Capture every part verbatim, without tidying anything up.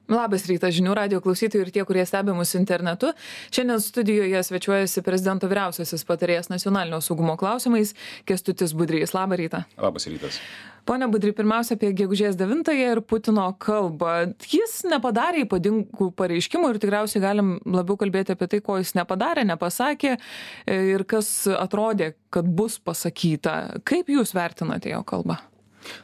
Labas rytas žinių radijo klausytojai ir tie, kurie stebi mus internetu. Šiandien studijoje svečiuojasi prezidento vyriausiasis patarėjas nacionalinio saugumo klausimais Kęstutis Budrys. Labą rytą. Labas rytas. Pone Budry, pirmiausia apie gegužės devintąją ir Putino kalbą. Jis nepadarė ypatingų pareiškimų ir tikriausiai galim labiau kalbėti apie tai, ko jis nepadarė, nepasakė ir kas atrodė, kad bus pasakyta. Kaip jūs vertinate jo kalbą?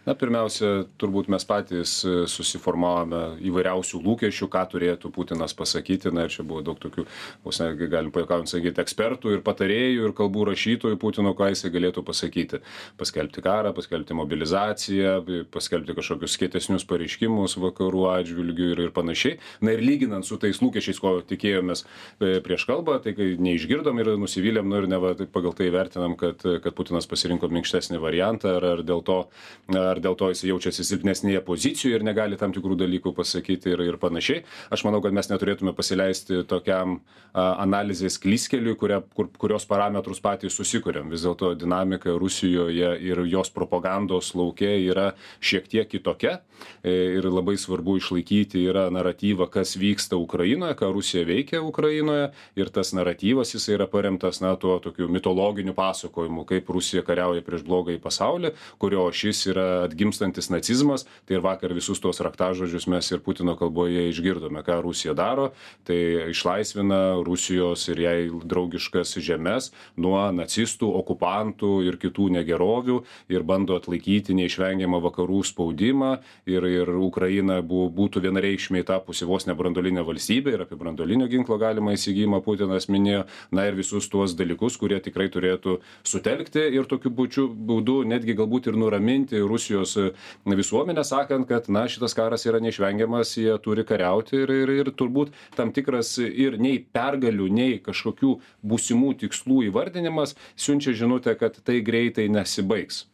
Na, pirmiausia, turbūt mes patys susiformavome įvairiausių lūkesčių, ką turėtų Putinas pasakyti. Na, ir čia buvo daug tokių, vos ne, galim pajuokaujant sakyti, ekspertų ir patarėjų ir kalbų rašytojų Putino, ką jisai galėtų pasakyti. Paskelbti karą, paskelbti mobilizaciją, paskelbti kažkokius kietesnius pareiškimus vakarų atžvilgių ir, ir panašiai. Na, ir lyginant su tais lūkesčiais, ko tikėjomės prieš kalbą, tai kai neišgirdom ir nusivylėm, nu ir neva pagal tai vertinam, kad, kad Putinas pasirinko minkštesnį variantą, ar, ar dėl to ar dėl to jis jaučiasi silpnesnėje pozicijoje ir negali tam tikrų dalykų pasakyti ir, ir panašiai. Aš manau, kad mes neturėtume pasileisti tokiam a, analizės klyskeliui, kuria, kur, kurios parametrus patys susikuriam. Vis dėlto dinamika Rusijoje ir jos propagandos lauke yra šiek tiek kitokia ir labai svarbu išlaikyti yra naratyvą, kas vyksta Ukrainoje, ką Rusija veikia Ukrainoje ir tas naratyvas jis yra paremtas na, tuo tokiu mitologiniu pasakojimu, kaip Rusija kariauja prieš blogąjį pasaulį, kurio šis yra atgimstantis nacizmas, tai ir vakar visus tos raktažodžius mes ir Putino kalboje išgirdome, ką Rusija daro, tai išlaisvina Rusijos ir jai draugiškas žemes nuo nacistų, okupantų ir kitų negerovių ir bando atlaikyti neišvengiamą vakarų spaudimą ir, ir Ukraina bu, būtų vienareikšmiai tapusi vos ne branduolinė valstybė ir apie branduolinio ginklo galimą įsigijimą Putinas minėjo, na ir visus tuos dalykus, kurie tikrai turėtų sutelkti ir tokiu būdu netgi galbūt ir nuraminti Rusijos visuomenę, sakant, kad na, šitas karas yra neišvengiamas, jie turi kariauti ir, ir, ir turbūt tam tikras ir nei pergalių, nei kažkokių būsimų tikslų įvardinimas siunčia žinutę, kad tai greitai nesibaigs.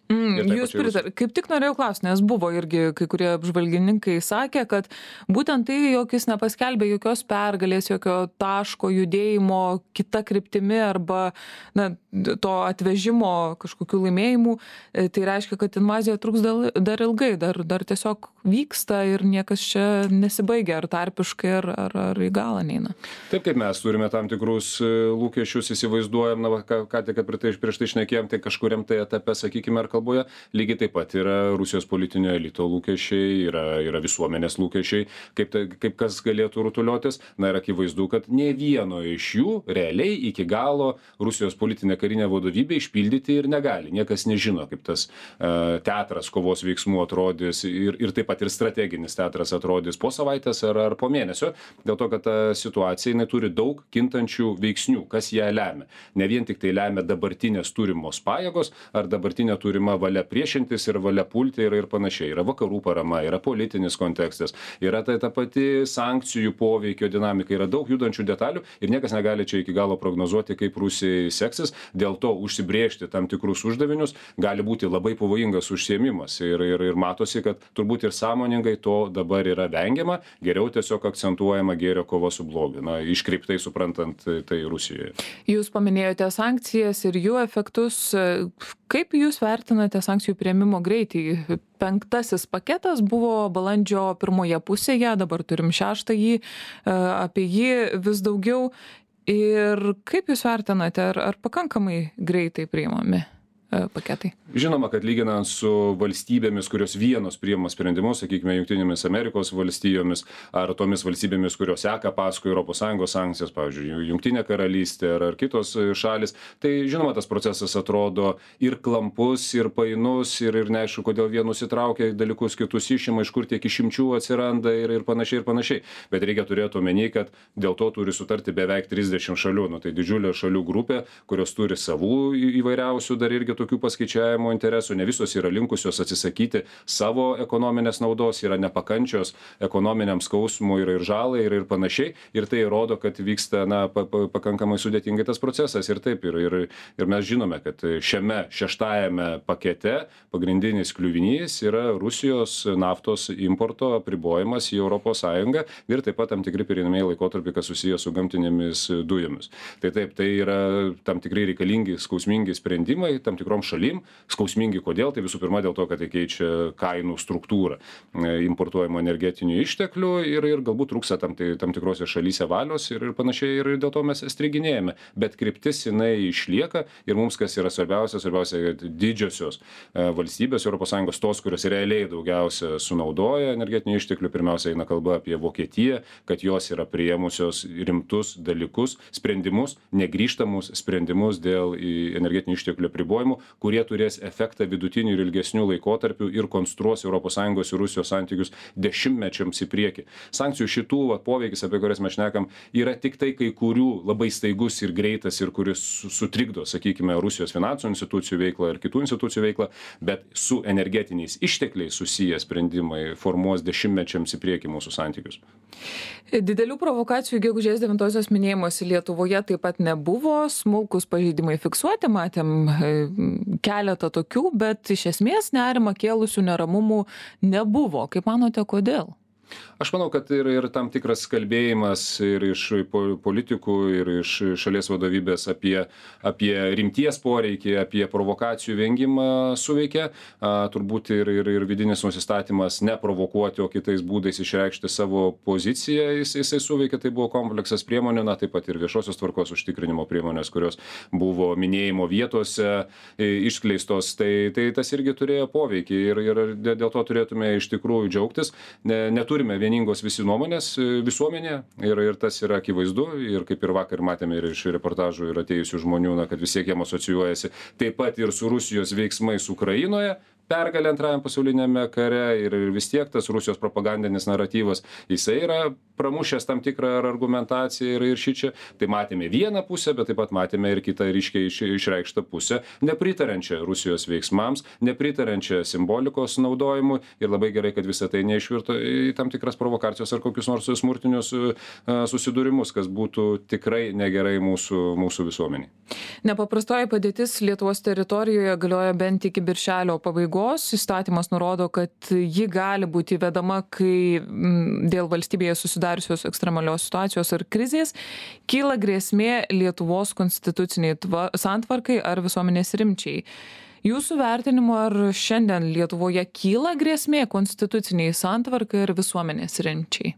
Mm, jūs pritar, kaip tik norėjau klausti, nes buvo irgi kai kurie apžvalgininkai sakė, kad būtent tai, jog jis nepaskelbė jokios pergalės, jokio taško judėjimo kita kryptimi arba na, to atvežimo kažkokių laimėjimų, tai reiškia, kad invazija truks dar ilgai, dar, dar tiesiog vyksta ir niekas čia nesibaigia, ar tarpiškai, ar, ar, ar į galą neina. Taip, kaip mes turime tam tikrus lūkesčius, įsivaizduojam, na, ką, ką tik prieš tai šnekėjom, tai kažkuriam tai etape, sakykime, ar kalboje, lygiai taip pat yra Rusijos politinio elito lūkesčiai, yra, yra visuomenės lūkesčiai, kaip, tai, kaip kas galėtų rutuliotis. Na ir akivaizdu, kad ne vieno iš jų realiai iki galo Rusijos politinė karinė vadovybė išpildyti ir negali. Niekas nežino, kaip tas uh, teatras kovos veiksmų atrodys ir, ir taip pat ir strateginis teatras atrodys po savaitės ar, ar po mėnesio, dėl to, kad ta situacija jinai turi daug kintančių veiksnių, kas ją lemia. Ne vien tik tai lemia dabartinės turimos pajėgos ar dabartinė turima valia priešintis ir valia pulti ir, ir panašiai. Yra vakarų parama, yra politinis kontekstas, yra tai ta pati sankcijų poveikio dinamika, yra daug judančių detalių ir niekas negali čia iki galo prognozuoti, kaip Rusijai seksis. Dėl to užsibrėžti tam tikrus uždavinius gali būti labai pavojingas užsiėmimas ir, ir, ir matosi, kad turbūt ir sąmoningai to dabar yra vengiama, geriau tiesiog akcentuojama gėrio kova su blogiu, na, iškreiptai suprantant tai Rusijoje. Jūs paminėjote sankcijas ir jų efektus. Kaip jūs vertinate sankcijų priėmimo greitį? Penktasis paketas buvo balandžio pirmoje pusėje, dabar turim šeštąjį, apie jį vis daugiau. Ir kaip jūs vertinate, ar, ar pakankamai greitai priimami paketai? Žinoma, kad lyginant su valstybėmis, kurios vienos priima sprendimus, sakykime, Jungtinėmis Amerikos valstijomis ar tomis valstybėmis, kurios seka paskui Europos Sąjungos sankcijas, pavyzdžiui, Jungtinė karalystė ar, ar kitos šalis, tai žinoma, tas procesas atrodo ir klampus, ir painus, ir, ir neaišku, kodėl vienus įtraukia dalykus, kitus išima, iš kur tiek išimčių atsiranda ir, ir panašiai, ir panašiai. Bet reikia turėti omeny, kad dėl to turi sutarti beveik trisdešimt šalių, nu, tai didžiulė šalių grupė, kurios turi savų įvairiausių dar irgi tokių paskaičiavimo interesų, ne visos yra linkusios atsisakyti savo ekonominės naudos, yra nepakančios ekonominiam skausmui ir, ir žalai ir, ir panašiai. Ir tai rodo, kad vyksta na, pa, pa, pakankamai sudėtingai tas procesas. Ir taip, ir, ir, ir mes žinome, kad šiame šeštajame pakete pagrindinis kliuvinys yra Rusijos naftos importo apribojimas į Europos Sąjungą ir taip pat tam tikri pereinamieji laikotarpiai, kas susiję su gamtinėmis dujomis. Tai taip, tai yra tam tikrai reikalingi, skausmingi sprendimai, tam tikrom šalim. Skausmingi kodėl? Tai visų pirma dėl to, kad tai keičia kainų struktūrą importuojamo energetinių išteklių ir, ir galbūt trūksta tam, tai, tam tikrose šalyse valios ir, ir panašiai ir dėl to mes striginėjame. Bet kryptis jinai išlieka ir mums kas yra svarbiausia, svarbiausia, kad didžiosios valstybės Europos Sąjungos, tos, kurios realiai daugiausia sunaudoja energetinių išteklių, pirmiausia eina kalba apie Vokietiją, kad jos yra priėmusios rimtus dalykus, sprendimus, negrįžtamus sprendimus dėl energetinių išteklių apribojimų, kurie turės efektą vidutinių ir ilgesnių laikotarpių ir konstruos Europos Sąjungos ir Rusijos santykius dešimtmečiams į priekį. Sankcijų šitų va, poveikis, apie kurias mes šnekam, yra tik tai kai kurių labai staigus ir greitas ir kuris sutrikdo, sakykime, Rusijos finansų institucijų veiklą ir kitų institucijų veiklą, bet su energetiniais ištekliais susiję sprendimai formuos dešimtmečiams į priekį mūsų santykius. Didelių provokacijų gegužės devintosios minėjimuose Lietuvoje taip pat nebuvo, smulkus pažeidimai fiksuoti, matėm keletą tokių, bet iš esmės nerimą kėlusių neramumų nebuvo. Kaip manote, kodėl? Aš manau, kad ir, ir tam tikras kalbėjimas ir iš politikų, ir iš šalies vadovybės apie, apie rimties poreikį, apie provokacijų vengimą suveikė. A, turbūt ir, ir, ir vidinis nusistatymas neprovokuoti, o kitais būdais išreikšti savo poziciją, jis, jisai suveikė. Tai buvo kompleksas priemonių, na taip pat ir viešosios tvarkos užtikrinimo priemonės, kurios buvo minėjimo vietose išskleistos. Tai, tai tas irgi turėjo poveikį ir, ir dėl to turėtume iš tikrųjų džiaugtis. Ne, neturime vieningos visi nuomonės visuomenėje ir, ir tas yra akivaizdu ir kaip ir vakar matėme ir iš reportažų ir atėjusių žmonių, na, kad vis tiek jiem asocijuojasi taip pat ir su Rusijos veiksmais Ukrainoje, pergalė antrajam pasauliniame kare ir vis tiek tas Rusijos propagandinis naratyvas, jisai yra pramušęs tam tikrą argumentaciją ir, ir šičia. Tai matėme vieną pusę, bet taip pat matėme ir kitą ryškiai iš, išreikštą pusę, nepritarančią Rusijos veiksmams, nepritarančią simbolikos naudojimui ir labai gerai, kad visą tai neišvirto į tam tikras provokacijos ar kokius nors smurtinius susidūrimus, kas būtų tikrai negerai mūsų, mūsų visuomeniai. Nepaprastoji padėtis Lietuvos teritorijoje galioja bent iki birželio pabaigos. Įstatymas nurodo, kad ji gali būti įvedama, kai dėl valstybėje susidariusios ekstremalios situacijos ar krizės kyla grėsmė Lietuvos konstituciniai santvarkai ar visuomenės rimčiai. Jūsų vertinimu, ar šiandien Lietuvoje kyla grėsmė konstituciniai santvarkai ar visuomenės rimčiai?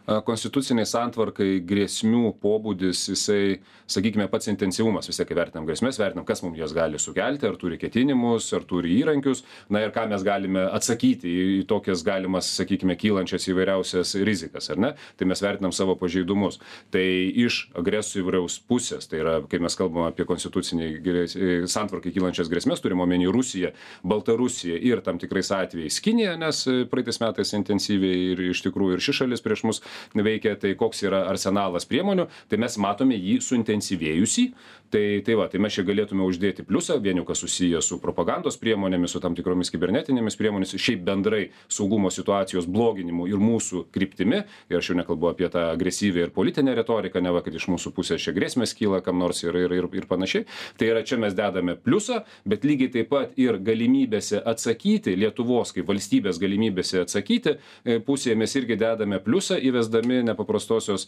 Konstituciniai santvarkai grėsmių pobūdis, jisai, sakykime, pats intensyvumas, vis tiek vertinam grėsmės, vertinam, kas mums jas gali sukelti, ar turi ketinimus, ar turi įrankius, na ir ką mes galime atsakyti į tokias galimas, sakykime, kylančias įvairiausias rizikas, ar ne? Tai mes vertinam savo pažeidumus. Tai iš agresoriaus pusės, tai yra, kai mes kalbame apie konstituciniai santvarkai kylančias grėsmės, turime omeny Rusiją, Baltarusiją ir tam tikrais atvejais Kiniją, nes praeitais metais intensyviai ir iš tikrųjų ir ši šalis prieš mus veikia, tai koks yra arsenalas priemonių, tai mes matome jį suintensyvėjusį, tai, tai va, tai mes čia galėtume uždėti pliusą, vieniu, kas susiję su propagandos priemonėmis, su tam tikromis kibernetinėmis priemonėmis, šiaip bendrai saugumo situacijos bloginimu ir mūsų kryptimi, ir aš jau nekalbu apie tą agresyvę ir politinę retoriką, ne va, kad iš mūsų pusės čia grėsmės kyla kam nors ir, ir, ir, ir panašiai, tai yra čia mes dedame pliusą, bet lygiai taip pat ir galimybėse atsakyti, Lietuvos kaip valstybės galimybėse atsakyti, pusėje mes irgi dedame pliusą, įvesdami nepaprastosios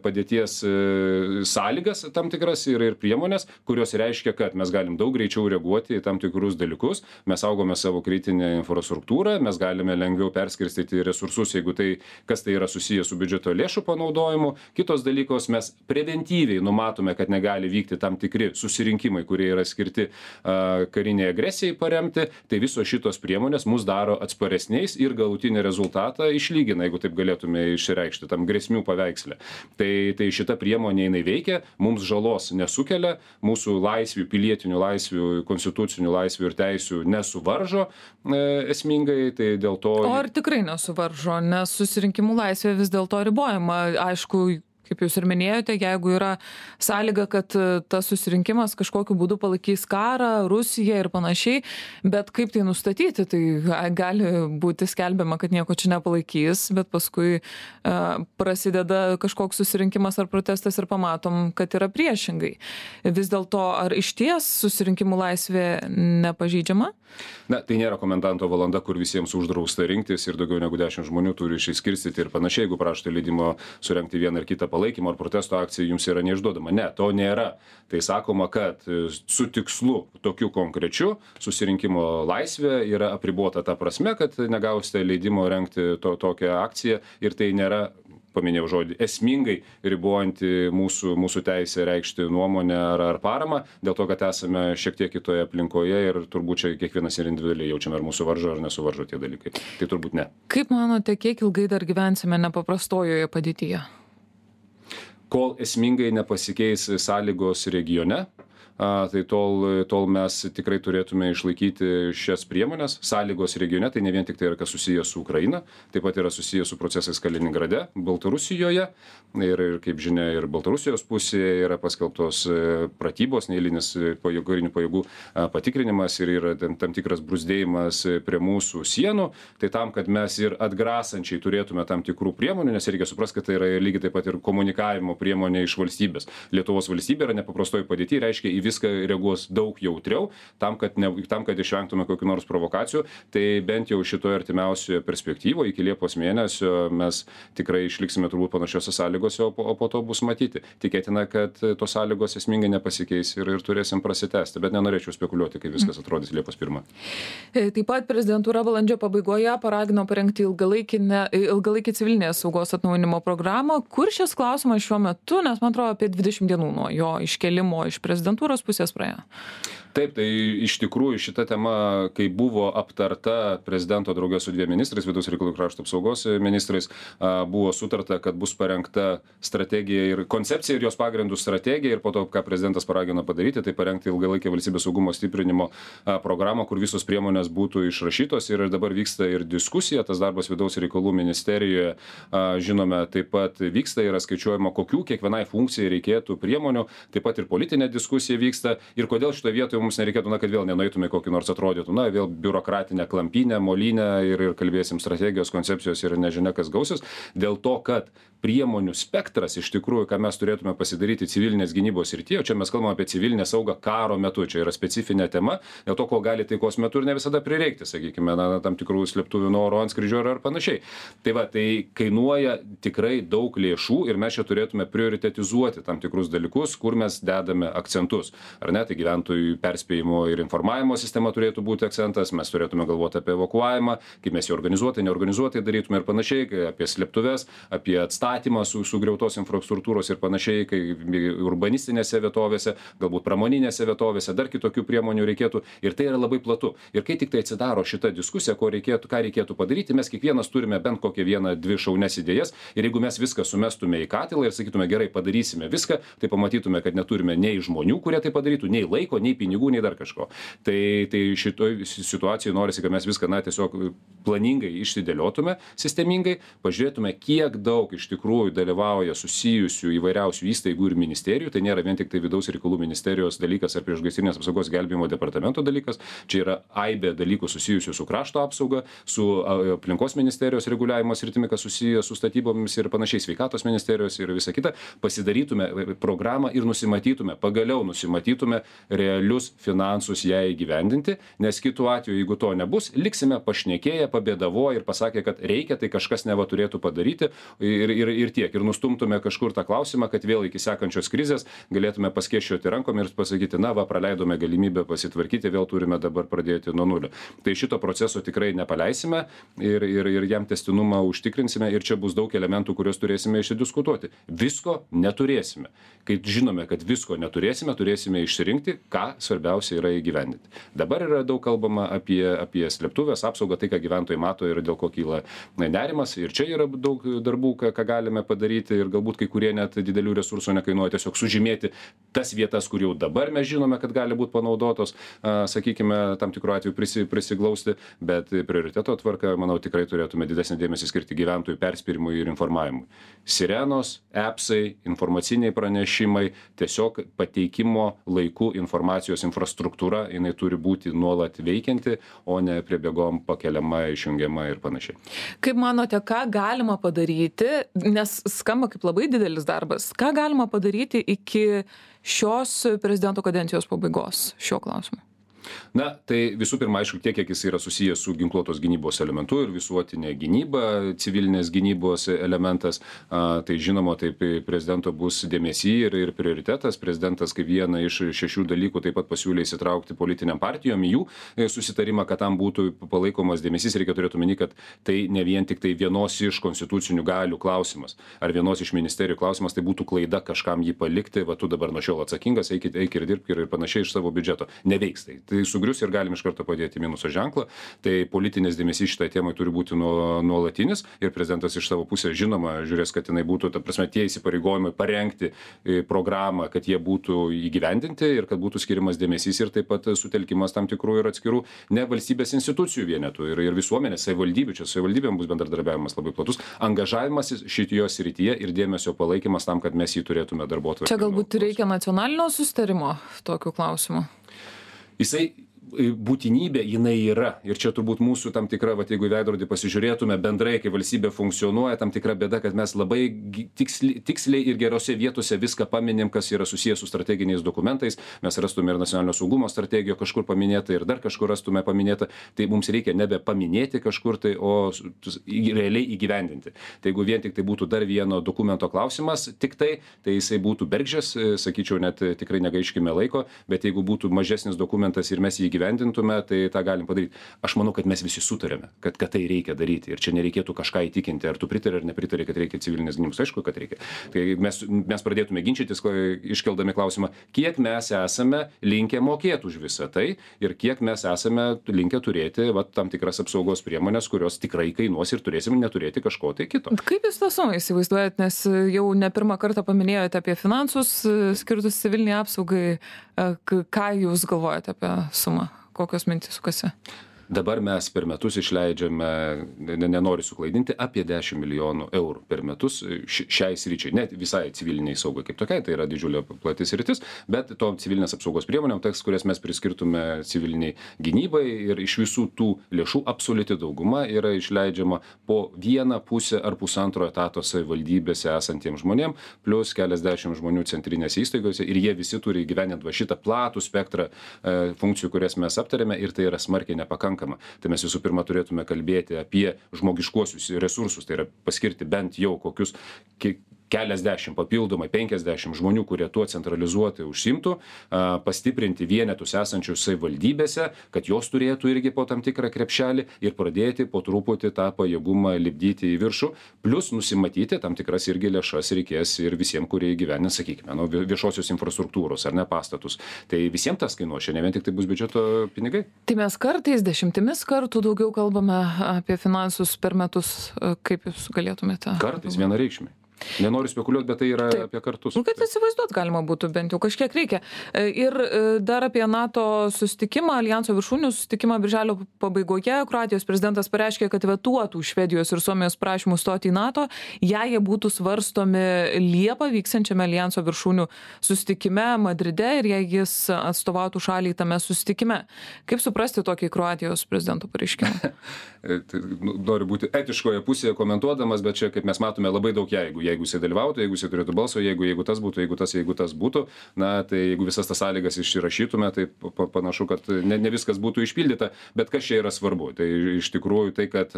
padėties sąlygas tam tikras ir, ir priemonės, kurios reiškia, kad mes galim daug greičiau reaguoti į tam tikrus dalykus, mes saugome savo kritinę infrastruktūrą, mes galime lengviau perskirstyti resursus, jeigu tai, kas tai yra susiję su biudžeto lėšų panaudojimu. Kitos dalykos mes preventyviai numatome, kad negali vykti tam tikri susirinkimai, kurie yra skirti uh, kariniai agresijai paremti, tai visos šitos priemonės mus daro atsparesniais ir galutinį rezultatą išlygina, jeigu taip galėtume išreikšti tam grėsmių paveiksle. Tai, tai šita priemonė jinai veikia, mums žalos nesukelia, mūsų laisvių, pilietinių laisvių, konstitucinių laisvių ir teisių nesuvaržo e, esmingai, tai dėl to... O ar tikrai nesuvaržo, nes susirinkimų laisvė vis dėlto ribojama, aišku, kaip jūs ir minėjote, jeigu yra sąlyga, kad tas susirinkimas kažkokiu būdu palaikys karą, Rusiją ir panašiai, bet kaip tai nustatyti, tai gali būti skelbiama, kad nieko čia nepalaikys, bet paskui uh, prasideda kažkoks susirinkimas ar protestas ir pamatom, kad yra priešingai. Vis dėlto, ar išties susirinkimų laisvė nepažeidžiama? Na, tai nėra komendanto valanda, kur visiems uždrausta rinktis ir daugiau negu dešimt žmonių turi išsiskirstyti ir panašiai, jeigu prašote leidimo surengti vieną ar kitą palaikymą palaikymo ar protesto akcija jums yra neišduodama. Ne, to nėra. Tai sakoma, kad su tikslu tokiu konkrečiu susirinkimo laisvė yra apribota ta prasme, kad negausite leidimo rengti to, tokią akciją ir tai nėra, paminėjau žodį, esmingai ribojanti mūsų, mūsų teisę reikšti nuomonę ar, ar paramą, dėl to, kad esame šiek tiek kitoje aplinkoje ir turbūt čia kiekvienas ir individualiai jaučiame, ar mūsų varžo ar nesuvaržo tie dalykai. Tai turbūt ne. Kaip manote, kiek ilgai dar gyvensime nepaprastojoje padėtyje? Kol esmingai nepasikeis sąlygos regione, a, tai tol, tol mes tikrai turėtume išlaikyti šias priemonės. Sąlygos regione tai ne vien tik tai yra kas susijęs su Ukraina, taip pat yra susijęs su procesais Kaliningrade, Baltarusijoje ir, ir kaip žinia, ir Baltarusijos pusėje yra paskelbtos pratybos, neeilinis pajėgų, karinių pajėgų patikrinimas ir yra tam, tam tikras bruzdėjimas prie mūsų sienų. Tai tam, kad mes ir atgrasančiai turėtume tam tikrų priemonių, nes reikia suprasti, kad tai yra lygiai taip pat ir komunikavimo priemonė iš valstybės. Lietuvos valstybė yra nepaprastoji padėty, reiškia į viską reaguos daug jautriau, tam, kad, ne, tam, kad išvengtume kokių nors provokacijų. Tai bent jau šitoje artimiausioje perspektyvoje iki Liepos mėnesio mes tikrai išliksime turbūt panašiose sąlygose, o po, o po to bus matyti. Tikėtina, kad tos sąlygos esmingai nepasikeis ir, ir turėsim prasitęsti, bet nenorėčiau spekuliuoti, kaip viskas atrodys Liepos pirmą. Taip pat prezidentūra balandžio pabaigoje paragino parengti ilgalaikį civilinės saugos atnaujinimo programą. Kur šis klausimas šiuo metu, nes man atrodo apie dvidešimt dienų nuo jo iškelimo iš prezidentūros pusės praėjo. Taip, tai iš tikrųjų šita tema, kai buvo aptarta prezidento draugė su dviem ministrais, vidaus reikalų krašto apsaugos ministrais, buvo sutarta, kad bus parengta strategija ir koncepcija ir jos pagrindų strategija ir po to, ką prezidentas paragino padaryti, tai parengti ilgalaikę valstybės saugumo stiprinimo programą, kur visos priemonės būtų išrašytos ir dabar vyksta ir diskusija, tas darbas vidaus reikalų ministerijoje, žinome, taip pat vyksta, yra skaičiuojama, kokių kiekvienai funkcijai reikėtų priemonių, taip pat ir politinė diskusija vyksta ir kodėl šitoje vietoje mums nereikėtų, na, kad vėl nenueitume kokį nors atrodytų, na, vėl biurokratinę klampynę, molinę ir, ir kalbėsim strategijos, koncepcijos ir nežinia, kas gausis, dėl to, kad priemonių spektras iš tikrųjų, ką mes turėtume pasidaryti civilinės gynybos srityje, o čia mes kalbame apie civilinę saugą karo metu, čia yra specifinė tema, dėl to, ko gali taikos metu ir ne visada prireikti, sakykime, na, tam tikrų slėptuvių nuo oro antskrydžio ar panašiai. Tai va, tai kainuoja tikrai daug lėšų ir mes čia turėtume prioritetizuoti tam tikrus dalykus, kur mes dedame akcentus. Ar ne, tai gyventojų perspėjimo ir informavimo sistema turėtų būti akcentas, mes turėtume galvoti apie evakuavimą, kaip mes jį organizuotai, neorganizuotai darytume ir panašiai, apie slėptuves, apie atstatymą su sugriautos infrastruktūros ir panašiai, kai urbanistinėse vietovėse, galbūt pramoninėse vietovėse, dar kitokių priemonių reikėtų ir tai yra labai platu. Ir kai tik tai atsidaro šita diskusija, ko reikėtų, ką reikėtų padaryti, mes kiekvienas turime bent kokią vieną, dvi šaunias idėjas ir jeigu mes viską sumestume į katilą ir sakytume, gerai, padarysime viską, tai pamatytume, kad neturime nei žmonių, kurie tai padarytų, nei laiko, nei pinigų, nei dar kažko. Tai, tai šitoj situacijoje norisi, kad mes viską, na, tiesiog planingai išsidėliotume, sistemingai, pažiūrėtume, kiek daug iš tikrųjų dalyvauja susijusių įvairiausių įstaigų ir ministerijų, tai nėra vien tik tai vidaus reikalų ministerijos dalykas ar priešgaisrinės apsaugos gelbėjimo departamento dalykas, čia yra aibė dalykų susijusių su krašto apsauga, su aplinkos ministerijos reguliavimo sritimi, kas susiję su statybomis ir panašiai, sveikatos ministerijos ir visa kita, pasidarytume programą ir nusimatytume, pagaliau nusimatytume realius finansus ją įgyvendinti, nes kitu atveju, jeigu to nebus, liksime pašnekėję, pabėdavo ir pasakė, kad reikia, tai kažkas neva turėtų padaryti ir, ir, ir tiek. Ir nustumtume kažkur tą klausimą, kad vėl iki sekančios krizės galėtume paskėšioti rankom ir pasakyti, na va, praleidome galimybę pasitvarkyti, vėl turime dabar pradėti nuo nulio. Tai šito proceso tikrai nepaleisime ir, ir, ir jam testinumą užtikrinsime ir čia bus daug elementų, kuriuos turėsime išsidiskutuoti. Visko neturėsime. Kai žinome, kad visko neturėsime, turėsime išsirinkti, ką svarbiausia yra įgyvendinti. Dabar yra daug kalbama apie, apie slėptuvės apsaugą, tai ką gyventojai mato ir dėl ko kyla nerimas. Ir čia yra daug darbų, ką, ką galime padaryti ir galbūt kai kurie net didelių resursų nekainuoja, tiesiog sužymėti tas vietas, kur jau dabar mes žinome, kad gali būti panaudotos, sakykime, tam tikru atveju prisi, prisiglausti, bet prioriteto tvarka, manau, tikrai turėtume didesnį dėmesį skirti gyventojų perspėjimui ir informavimui. Sirenos, appsai, informaciniai pranešimai, tiesiog pateikimo laiku informacijos infrastruktūra, jinai turi būti nuolat veikianti, o ne priebėgom pakeliama, išjungiama ir panašiai. Kaip manote, ką galima padaryti, nes skamba kaip labai didelis darbas, ką galima padaryti iki šios prezidento kadencijos pabaigos šiuo klausimu? Na, tai visų pirma, aišku, tiek, kiek jis yra susijęs su ginkluotos gynybos elementu ir visuotinė gynyba, civilinės gynybos elementas, a, tai žinoma, taip prezidento bus dėmesy ir, ir prioritetas. Prezidentas kaip vieną iš šešių dalykų taip pat pasiūlė įsitraukti politiniam partijom į jų susitarimą, kad tam būtų palaikomas dėmesys. Reikia turėti omeny, kad tai ne vien tik tai vienos iš konstitucinių galių klausimas ar vienos iš ministerijų klausimas, tai būtų klaida kažkam jį palikti, va tu dabar nuo šiol atsakingas, eik, eik ir dirbk ir panašiai iš savo biudžeto. Neveiks tai. Tai sugrius ir galim iš karto padėti minuso ženklą. Tai politinės dėmesys šitai temai turi būti nuolatinis ir prezidentas iš savo pusės žinoma žiūrės, kad jinai būtų, ta prasme, tie įsipareigojimai parengti programą, kad jie būtų įgyvendinti ir kad būtų skiriamas dėmesys ir taip pat sutelkimas tam tikrų ir atskirų ne valstybės institucijų vienetų ir, ir visuomenės, savivaldybių. Čia savivaldybėm bus bendradarbiavimas labai platus, angažavimasis šitoje srityje ir dėmesio palaikymas tam, kad mes jį turėtume darbotvarkėje. Čia galbūt reikia nacionalinio susitarimo tokiu klausimu. Jisai būtinybė jinai yra ir čia turbūt mūsų tam tikra, vat, jeigu į veidrodį pasižiūrėtume bendrai, kai valstybė funkcionuoja, tam tikra bėda, kad mes labai tiksliai, tiksliai ir gerose vietose viską paminim, kas yra susijęs su strateginiais dokumentais. Mes rastume ir nacionalinio saugumo strategiją kažkur paminėtą ir dar kažkur rastume paminėtą. Tai mums reikia nebe paminėti kažkur tai, o realiai įgyvendinti. Tai jeigu vien tik tai būtų dar vieno dokumento klausimas, tik tai, tai jisai būtų bergždžias, sakyčiau, net tikrai negaiškime laiko, bet jeigu būtų mažesnis dokumentas ir mes jį įgyvendintume, gyventintume, tai tą galim padaryti. Aš manau, kad mes visi sutarėme, kad, kad tai reikia daryti ir čia nereikėtų kažką įtikinti, ar tu pritari ar nepritari, kad reikia civilinės gynybos. Aišku, kad reikia. Tai mes, mes pradėtume ginčytis, iškeldami klausimą, kiek mes esame linkę mokėti už visą tai ir kiek mes esame linkę turėti va, tam tikras apsaugos priemonės, kurios tikrai kainuos ir turėsim neturėti kažko tai kito. Kaip jūs tą sumą įsivaizduojat, nes jau ne pirmą kartą paminėjote apie finansus skirtus civiliniai apsaugai. Ką jūs galvojate apie sumą? Kokios mintys sukasi? Dabar mes per metus išleidžiame, nenoriu suklaidinti, apie dešimt milijonų eurų per metus šiai sričiai, net visai civiliniai saugai kaip tokiai, tai yra didžiulė plati sritis, bet to civilinės apsaugos priemonėm, teks, kurias mes priskirtume civiliniai gynybai ir iš visų tų lėšų absoliuti dauguma yra išleidžiama po vieną pusę ar pusantro etato savivaldybėse esantiems žmonėm, plus keliasdešimt žmonių centrinėse įstaigose ir jie visi turi įgyvendinti va šitą platų spektrą e, funkcijų, kurias mes aptarėme ir tai yra smarkiai nepakankama. Tai mes visų pirma turėtume kalbėti apie žmogiškuosius resursus, tai yra paskirti bent jau kokius keliasdešimt papildomai, penkiasdešimt žmonių, kurie tuo centralizuotai užsimtų, pastiprinti vienetus esančius savivaldybėse, kad jos turėtų irgi po tam tikrą krepšelį ir pradėti po truputį tą pajėgumą lipdyti į viršų, plus nusimatyti tam tikras irgi lėšas reikės ir visiems, kurie įgyvendins, sakykime, nu, viešosios infrastruktūros ar ne pastatus. Tai visiems tas kainuos, ne vien tik tai bus biudžeto pinigai. Tai mes kartais dešimtimis kartų daugiau kalbame apie finansus per metus, kaip jūs galėtumėte? Kartais vienareikšmiai. Nenoriu spekuliuoti, bet tai yra Taip. Apie kartus. Nu, kad įsivaizduot galima būtų bent jau kažkiek reikia. Ir dar apie NATO susitikimą, Aljanso viršūnių susitikimą birželio pabaigoje. Kroatijos prezidentas pareiškė, kad vetuotų Švedijos ir Suomijos prašymus stoti į NATO, jei jie būtų svarstomi Liepą vyksiančiame Aljanso viršūnių susitikime Madride ir jei jis atstovautų šaliai tame susitikime. Kaip suprasti tokį Kroatijos prezidento pareiškimą? Noriu būti etiškoje pusėje komentuodamas, bet čia, kaip mes matome, labai daug jeigu. Jeigu jisai dalyvautų, jeigu jisai turėtų balso, jeigu, jeigu tas būtų, jeigu tas, jeigu tas būtų, na, tai jeigu visas tas sąlygas išrašytume, tai panašu, kad ne, ne viskas būtų išpildyta, bet kas čia yra svarbu. Tai iš tikrųjų tai, kad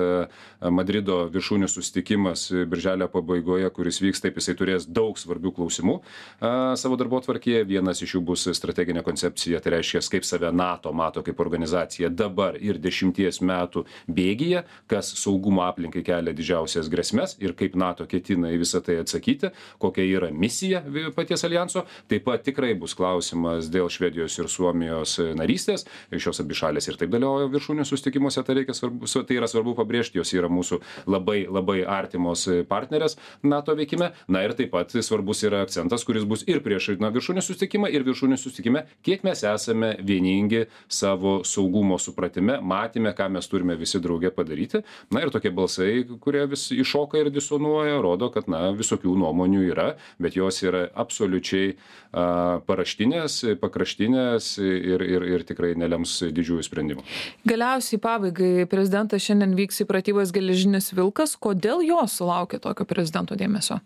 Madrido viršūnių susitikimas birželio pabaigoje, kuris vyks, taip jisai turės daug svarbių klausimų a, savo darbotvarkėje. Vienas iš jų bus strateginė koncepcija, tai reiškia, kaip save NATO mato kaip organizacija dabar ir dešimties metų bėgyje, kas saugumo aplinkai kelia didžiausias grėsmes ir kaip NATO ketina į visą tai atsakyti, kokia yra misija paties aljanso. Taip pat tikrai bus klausimas dėl Švedijos ir Suomijos narystės. Šios abi šalės ir taip dalyvauja viršūnių susitikimuose, tai, reikia svarbu, tai yra svarbu pabrėžti, jos yra mūsų labai, labai artimos partnerės NATO veikime. Na ir taip pat svarbus yra akcentas, kuris bus ir prieš na, viršūnių susitikimą, ir viršūnių susitikime, kiek mes esame vieningi savo saugumo supratime, matėme, ką mes turime visi drauge padaryti. Na ir tokie balsai, kurie vis iššoka ir disonuoja, rodo, kad na, visokių nuomonių yra, bet jos yra absoliučiai a, paraštinės, pakraštinės ir, ir, ir tikrai nelems didžiųjų sprendimų. Galiausiai pabaigai prezidentas šiandien vyks į pratybas Geležinis vilkas. Kodėl jos sulaukė tokio prezidento dėmesio?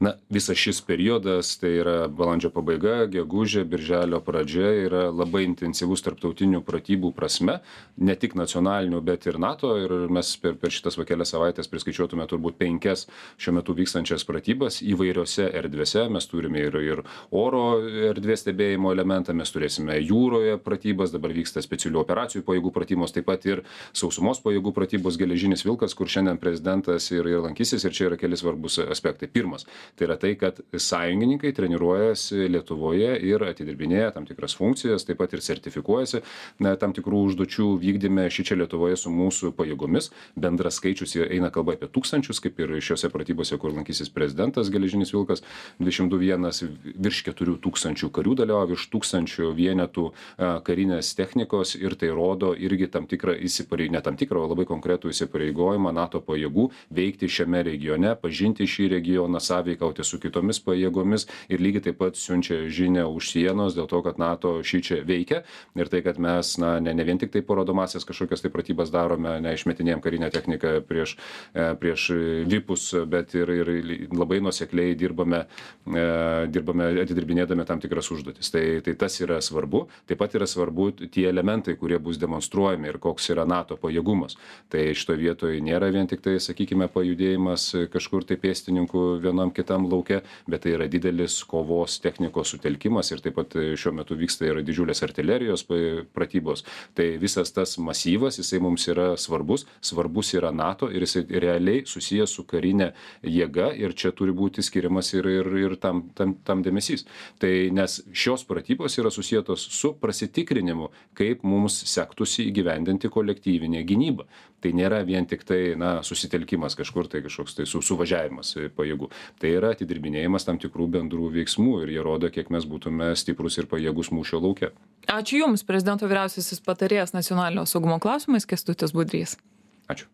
Na, visas šis periodas, tai yra balandžio pabaiga, gegužė, birželio pradžia, yra labai intensyvus tarptautinių pratybų prasme, ne tik nacionalinių, bet ir NATO. Ir mes per, per šitas va kelias savaitės priskaičiuotume turbūt penkias šiuo metu vykstančias pratybas įvairiose erdvėse. Mes turime ir, ir oro erdvės stebėjimo elementą, mes turėsime jūroje pratybas, dabar vyksta specialių operacijų pajėgų pratybos, taip pat ir sausumos pajėgų pratybos Geležinis vilkas, kur šiandien prezidentas ir, ir lankysis. Ir čia yra keli svarbus aspektai. Pirmas. Tai yra tai, kad sąjungininkai treniruojasi Lietuvoje ir atidirbinėja tam tikras funkcijas, taip pat ir sertifikuojasi na, tam tikrų užduočių vykdyme šičia Lietuvoje su mūsų pajėgomis. Bendras skaičius eina kalba apie tūkstančius, kaip ir šiuose pratybose, kur lankysis prezidentas Geležinis vilkas, dvidešimt vienas virš keturių tūkstančių karių dalyvauja, virš tūkstančių vienetų karinės technikos ir tai rodo irgi tam tikrą įsipareigojimą, ne tam tikrą, o labai konkretų įsipareigojimą NATO pajėgų veikti šiame regione, pažinti šį regioną, sąveikauti su kitomis pajėgomis ir lygiai taip pat siunčia žinią už sienos dėl to, kad NATO šičia veikia ir tai, kad mes na, ne, ne vien tik tai parodomasias kažkokias tai pratybas darome, neišmetinėjom karinę techniką prieš, prieš vipus, bet ir, ir labai nuosekliai dirbame, dirbame atidirbinėdami tam tikras užduotis. Tai, tai tas yra svarbu. Taip pat yra svarbu tie elementai, kurie bus demonstruojami ir koks yra NATO pajėgumas. Tai šitoje vietoje nėra vien tik tai, sakykime, pajudėjimas kažkur tai pėstininkų vienam kitam lauke, bet tai yra didelis kovos technikos sutelkimas ir taip pat šiuo metu vyksta ir didžiulės artilerijos pratybos. Tai visas tas masyvas, jisai mums yra svarbus, svarbus yra NATO ir jisai realiai susijęs su karinė jėga ir čia turi būti skiriamas ir, ir, ir tam, tam, tam dėmesys. Tai nes šios pratybos yra susijėtos su prasitikrinimu, kaip mums sektųsi įgyvendinti kolektyvinę gynybą. Tai nėra vien tik tai na, susitelkimas kažkur, tai kažkoks tai su, suvažiavimas pajėgų. Tai yra atidirbinėjimas tam tikrų bendrų veiksmų ir jie rodo, kiek mes būtume stiprus ir pajėgus mūšio lauke. Ačiū Jums, prezidento vyriausiasis patarėjas nacionalinio saugumo klausimais Kęstutis Budrys. Ačiū.